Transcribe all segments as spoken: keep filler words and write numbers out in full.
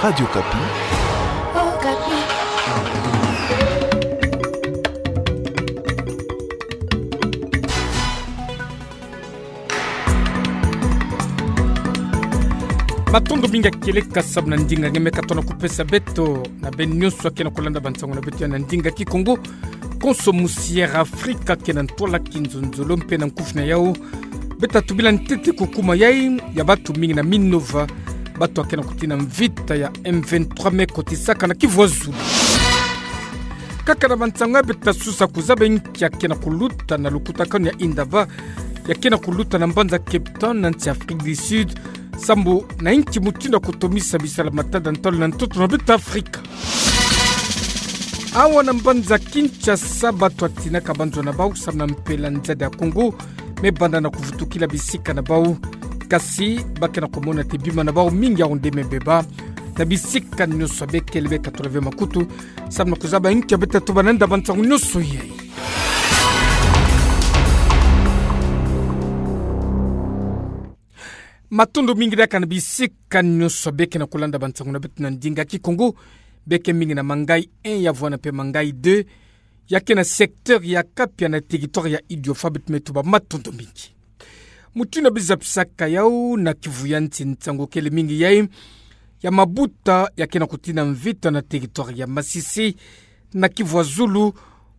Radio Okapi. Matondo mingi ya kieleka samu na ndinga nge me katono kupesa beto na beno nyonso akena kulanda bansango na beto ya na ndinga Kikongo. Konso musiera Afrika kena ntwala, kinzonzolo mpe na nkufi na yau. Beta tubila ntete kukuma yai ya batu mingi na Minova, batu akena kutina mvita ya M vingt-trois me kotisaka na Kivu ya Zulu. Kaka na bansango ya beta susa kuzaba nki akena kuluta na lukutakanu ya Indaba, ya kena kuluta na mbanza Cape Town na nsi Afrique du Sud, samu na nki mutindu ya kutomisa bisala matada ntalu na ntoto na beto Afrika. Awa na mbanza Kinshasa, batu atinaka banzo na bau samu na mpela nzadi ya Congo me banda na kuvutukila bisika na bau. Kasi bakena kumona te bima na bau mingi ya onde me beba na bisika nyonso. Bekele beka tula ve makutu samu na kuzaba nki beta tuba na nda bansango nyonso yai. Matondo mingi diaka na bisika nyonso bekena kulanda bansango na beto na ndinga Kikongo. Beke mingi na Mangayi un ya vwanda mpe Mangayi deux, ya kena secteur ya Kapia na territoire ya Idiofa, beto me tuba matondo mingi. Mutindu bizapisaka yau na Kivu ya nsi, nsangu kele mingi yai ya mabuta ya kena kutina mvita na territoire ya Masisi, na Kivu ya Zulu,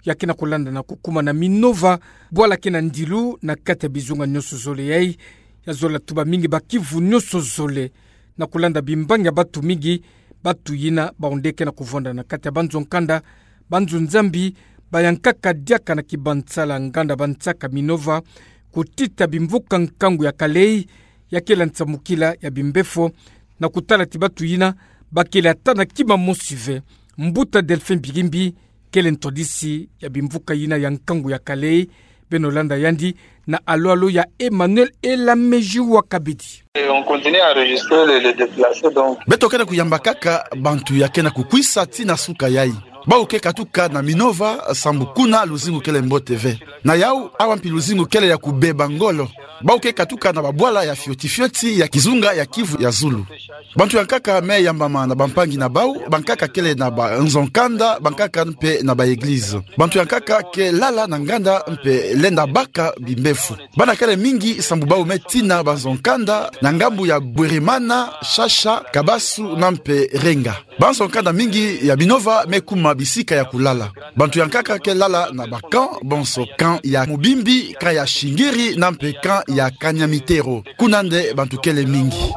ya kena kulanda na kukuma na Minova, bwala kena ndilu na kati ya bizunga nyonso zole yai. Ya zola tuba mingi ba Kivu nyonso zole na kulanda bimbangi ya batu mingi, batu yina baonde kena kuvwanda na kati ya banzo nkanda, banzo nzambi, bayankaka diaka na kibansala nganda bansaka Minova, kutita bimvuka nkangu ya kalei, ya kela nsamukila ya bimbefo, na kutala ti batu yina bakele ata na kima mosi ve. Mbuta Delphin Bigimbi kele ntwadisi ya bimvuka yina ya nkangu ya kalei. Beno landa yandi na alo-alo ya Emmanuel Elamejiwa Kabedi. Et on continue à enregistrer les, les déplacés, donc. Beto kena kuyamba kaka bantu ya kena kukwisa tii na suka yai. Bau ke katuka na Minova, sambu kuna luzingu kele mbote ve. Na yau, awa mpi luzingu kele ya kubeba ngolo. Bau ke katuka na babwala ya fioti-fioti ya kizunga ya Kivu ya Zulu. Bantu ya nkaka me yambama na bampangi na bau, bankaka kele na banzo nkanda, bankaka mpe na ba église. Bantu ya nkaka ke lala na nganda mpe lenda baka bimbefo. Bana kele mingi sambu bau me tina banzo nkanda na ngambu ya Bweremana, Shasha, Kabasu na mpe Renga. Banzo nkanda mingi ya Minova me kuma bisika ya kulala. Bantu ya nkaka ke lala na ba camp, bonso camp ya Mubimbi, camp ya Shingiri na mpe camp ya Kanyamitero. Kuna nde bantu kele mingi.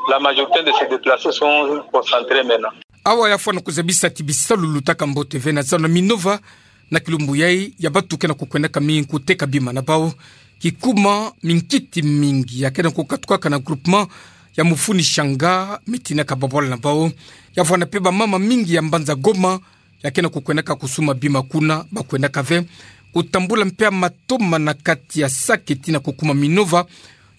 La majorité de ces déplacés sont concentrés maintenant. Awa ya fwana kuzabisa ti bisalu lutaka mbote ve na zando Minova, na kilumbu yai ya batu kena kukwendaka mingi kuteka bima na bau. Kikuma minkiti mingi ya kena kukatukaka na groupement ya Mufuni Shanga, me tinaka babwala na bau. Ya vwanda mpe bamama mingi ya mbanza Goma ya kena kukwendaka kusuma bima kuna, bakwendaka ve kutambula mpe ya matoma na kati ya saki tii na kukuma Minova,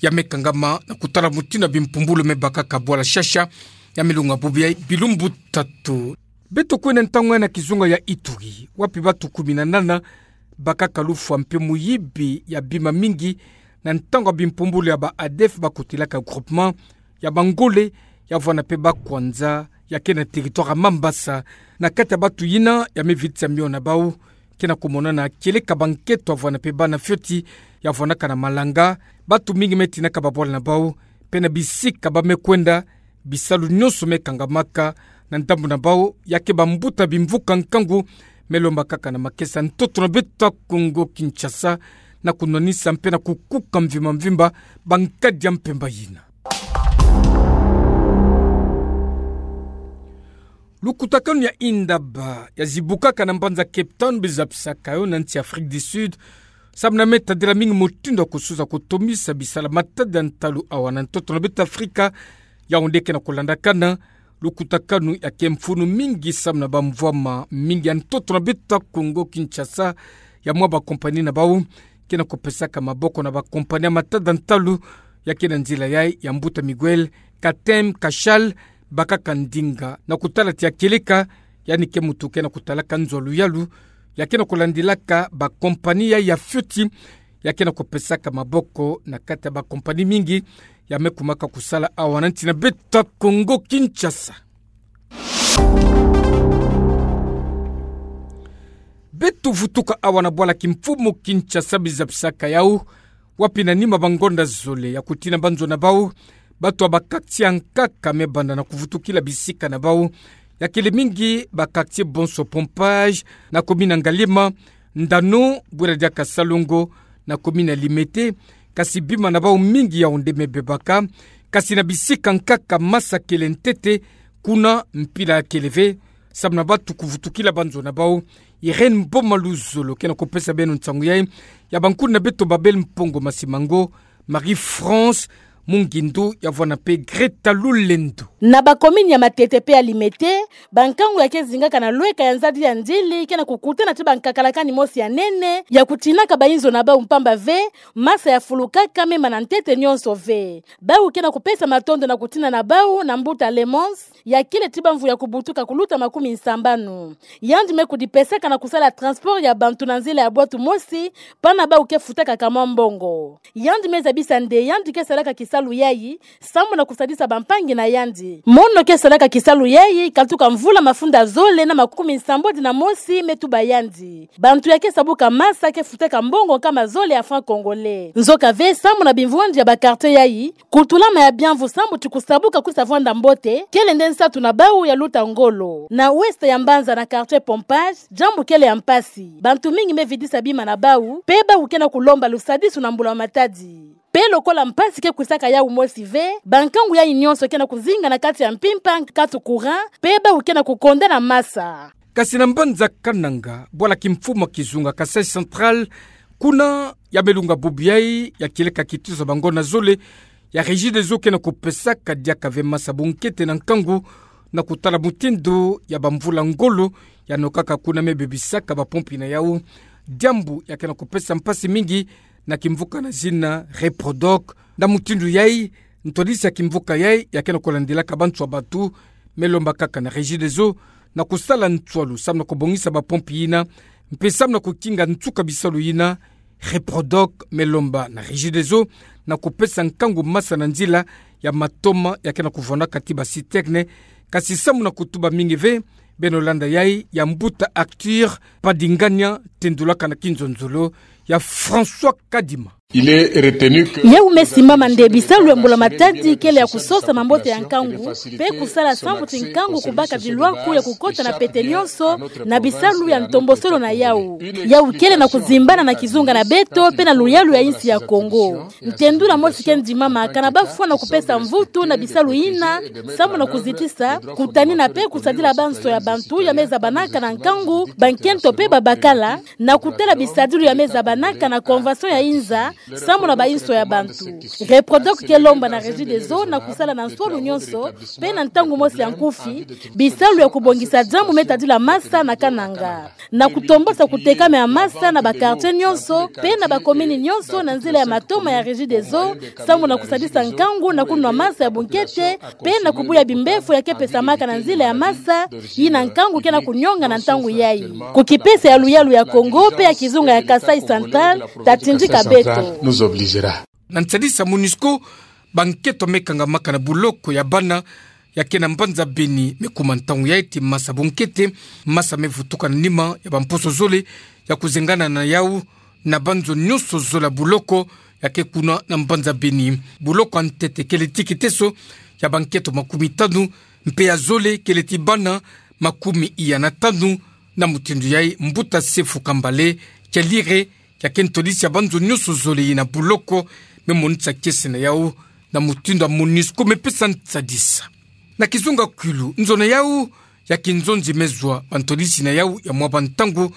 ya me kangama na kutala mutindu ya bimpumbulu me bakaka bwala Shasha, ya me lunga bubu ya bilumbu tatu. Beto kwenda ntangu ya na kizunga ya Ituri, wapi batu kumi na nana bakaka lufwa mpe muyibi ya bima mingi, na ntangu ya bimpumbulu ya ba ADF bakotilaka groupement ya Bangole, ya vwanda mpe ba Kwanza, ya kena territoire ya Mambasa. Na kati ya batu yina ya me vitisa mio na bau, kena kumonana kieleka bankento ya vwanda mpe bana fioti ya vwandaka na malanga. Batu mingi me tinaka babwala na bau, mpe na bisika ba me kwenda, bisalu nyonso me kangamaka. Na ndambu na bau, ya ke bambuta bimvuka nkangu me lomba kaka na makesa ntoto na beto Kongo Kinshasa, na kunwanisa mpe na kukuka mvimba mvimba bankadi ya mpemba yina. Lukutakanu ya Indaba ya zibukaka na mbanza Cape Town, bizapisaka yo na nsi Afrique du Sud, samu na me tadila mingi mutindu ya kusuza kutomisa bisala matada ntalu awa na ntoto na beto Afrika. Yaoundé kena kulandakana lukutakanu ya ke mfunu mingi samu na bamvwama mingi ya ntoto na beto Kongo Kinshasa, ya mwa bakompani na bau kena kupesaka maboko na bakompani ya matada ntalu, ya kena nzila yai ya mbuta Miguel Katem Kashal, bakaka ndinga na kutala ti ya kieleka, yandi ke muntu kena kutalaka nzo ya luyalu, ya kena kulandilaka bakompani yai ya fioti, ya kena kupesaka maboko na kati ya bakompani mingi ya me kumaka kusala awa na nsi na beto Kongo Kinshasa. Beto vutuka awa na bwala kimfumu Kinshasa, biza bisaka yau, wapi na nima ba ngonda zole ya kutina ba nzo na bau, bato ya ba quartier ya nkaka me banda na kuvutukila bisika na bau, ya kele mingi ba quartier Bonso Pompage, na commune ya Ngaliema, Ndano, bwera diaka Salongo, na commune ya Limete, kasi bima na bau mingi yau nde me bebaka, kasi na bisika nkaka masa kele ntete, kuna mpila kele ve, samu na bato kuvutukila ba nzo na bau. Irène Mboma Luzolo ke na kupesa beno nsangu yai, ya bankundi na beto Babel Mpongo Masimango, Marie-France Mungindu, ya vwanda mpe Greta Lulendo. Na ba commune ya Matete mpe ya Limete, ba nkangu ya ke zingaka na lweka ya nzadi ya ndili ke na kukutana ti ba nkakalakani mosi ya nene, ya kutinaka ba inzo na bau mpamba ve, masa ya fulukaka me mana ntete nyonso ve. Bau ke na kupesa matondo na kutina na bau na mbuta Lemons, ya kele ti ba mvu ya kubutuka kuluta makumi nsambanu. Yandi me kudipesaka na kusala transport ya bantu na nzila ya bwatu mosi, pana bau ke futaka kamwa mbongo. Yandi me zabisa nde yandi ke salaka kisalu yai, samu na kusadisa bampangi na yandi. Mono ke salaka kisalu yai, katuka mvula mafunda zole na makumi nsambwadi na mosi me tuba yandi. Bantu ya ke sabuka masa ke futaka mbongo nkama zole ya francs congolais. Nzoka ve samu na bimvwandi ya ba quartier yai, kutulama ya biamvu samu ti kusabuka kwisa vwanda mbote, kele nde nsatu na bau ya luta ngolo. Na ouest ya mbanza na quartier Pompage, diambu kele ya mpasi. Bantu mingi me vidisa bima na bau, mpe bau ke na kulomba lusadisu na mbula matadi. Mpe lokola mpasi ke kwisaka yau mosi ve, ba nkangu yai nyonso ke na kuzinga na kati ya mpimpa, nkatu courant, mpe bau ke na kukonda na masa. Kasi na mbanza Kananga, bwala kimfumu ya kizunga Kasaï Central, kuna ya me lunga bubu yai ya kieleka kitusa ba ngonda zole, ya Regideso ke na kupesaka diaka ve masa bunkete na nkangu, na kutala mutindu ya bamvula ngolo ya nokaka kuna me bebisaka bapompi na yau. Diambu ya ke na kupesa mpasi mingi na kimvuka na zina Reprodoc. Na mutindu yai, ntwadisi ya kimvuka yai ya ke na kulandilaka bantu ya batu, me lomba kaka na Regideso na kusala nswalu samu na kubongisa bapompi yina, mpe samu na kukinga nsuka bisalu yina. Reprodoc me lomba na Regideso na kupesa nkangu masa na nzila ya matoma ya ke na kuvwandaka ti ba citerne, kasi samu na kutuba mingi ve. Beno landa yai ya mbuta Arthur Padingania, tendulaka na kinzonzolo ya François Kadima. Il est retenu que... Yau me simbama nde bisalu ya mbula matadi kele ya kusosa mambote ya nkangu, mpe kusala samu ti nkangu kubaka bilwaku ya kukota na pete nyonso, na bisalu ya ntombosolo na yau. Yau kele na kuzimbana na kizunga na beto, mpe na luyalu ya insi ya Kongo. Ntendula mosi ke ndimama, kana bafwa na kupesa mvutu na bisalu yina, samu na kuzitisa, kutanina mpe kusadila banso ya bantu ya me zabanaka na nkangu, bankento mpe babakala, na kutala bisadilu ya me zabanaka na convention ya inza, samu na bainso ya bantu. Reprodoc ke lomba na Regideso na kusala na nswalu nyonso, mpe na ntangu mosi ya nkufi, bisalu ya kubongisa diambu me tadila masa na Kananga. Na kutombosa kutekama ya masa na ba quartier nyonso, mpe na ba commune nyonso na nzila ya matoma ya Regideso, samu na kusadisa nkangu na kunwa masa ya bunkete, mpe na kubuya bimbefo ya ke pesamaka na nzila ya masa, yina nkangu ke na kunyonga na ntangu yai. Ku kipesa ya luyalu ya Kongo, mpe ya kizunga ya Kasaï Central, tatindika beto. Na nsadisa MONUSCO, bankento me kangamaka na buloko ya bana ya ke na mbanza Beni me kuma ntangu yai ti masa bunkete, masa me vutuka na nima ya bamposo zole ya kuzengana na yau na banzo nyonso zole ya buloko ya ke kuna na mbanza Beni. Buloko ya ntete kele ti kiteso ya bankento makumi tanu, mpe ya zole kele ti bana makumi iya na tanu. Na mutindu yai, mbuta Sefu Kambale Kialire, ya ke ntwadisi ya banzo nyonso zole yina buloko, me monisa kiese na yau na mutindu ya MONUSCO me pesa nsadisa. Na kizunga Kwilu, nzo na yau ya kinzonzi me zwa bantwadisi na yau ya mwa bantangu,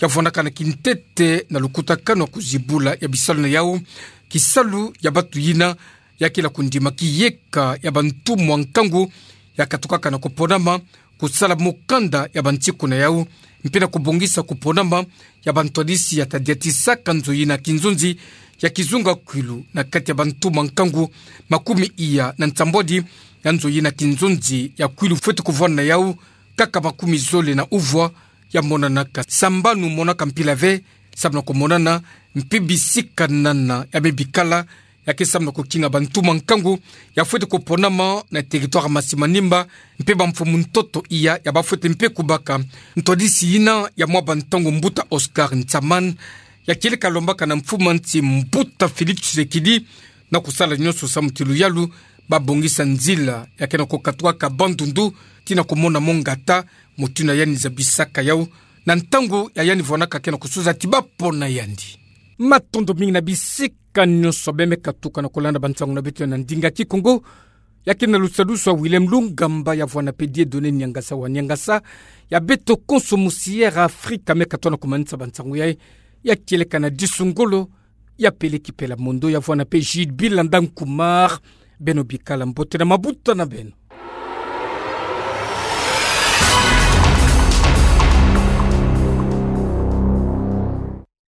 ya vwandaka na kintete na lukutakanu ya kuzibula ya bisalu na yau. Kisalu ya batu yina ya kila kundima kiyeka ya bantumwa nkangu ya katukaka na kuponama, kusala mukanda ya bantiku na yau, mpe na kubongisa kuponama ya bantwadisi ya tadiatisaka nzo yina kinzonzi ya kizunga Kwilu na kati ya bantumwa nkangu makumi iya na nsambwadi ya nzo yina kinzonzi ya Kwilu fweti kuvwanda na yau kaka makumi zole na uvwa ya monanaka. Sambanu monaka mpila ve, samu na kumonana mpe bisikanana ya me bikala ya ke sambana kokinga bantu mankangu ya fwete koponama na territoire Masimanimba, mpe bamfumu ntoto iya ya bafwete mpe kubaka ntwadisi yina ya mwa bantangu mbuta Oscar Nsaman ya kieleka lwambaka na mfumu a nsi mbuta Félix Tshisekedi na kusala nyonso samu ti luyalu babongisa nzila ya ke na kokatukaka Bandundu tii na komona mo ngata, motu na yandi zabisaka yau na ntangu ya yandi vwanaka ke na kusuza ti bapona yandi. Matondo mingi na bisika nyonso beno me katuka na kolanda bansangu na beto ya na ndinga Kikongo, ya ke na lusadusu a William Lungamba ya vwana mpe Dieudonné Niangasa wa Niangasa, ya beto konso mu Sierra Africa me katona kumanisa bansangu yayi, ya kieleka na Disu Ngolo, ya Peleki Pela Mondo, ya vwana mpe Jude Bilanda Nkumar. Beno bikala mbote na mabuta na beno.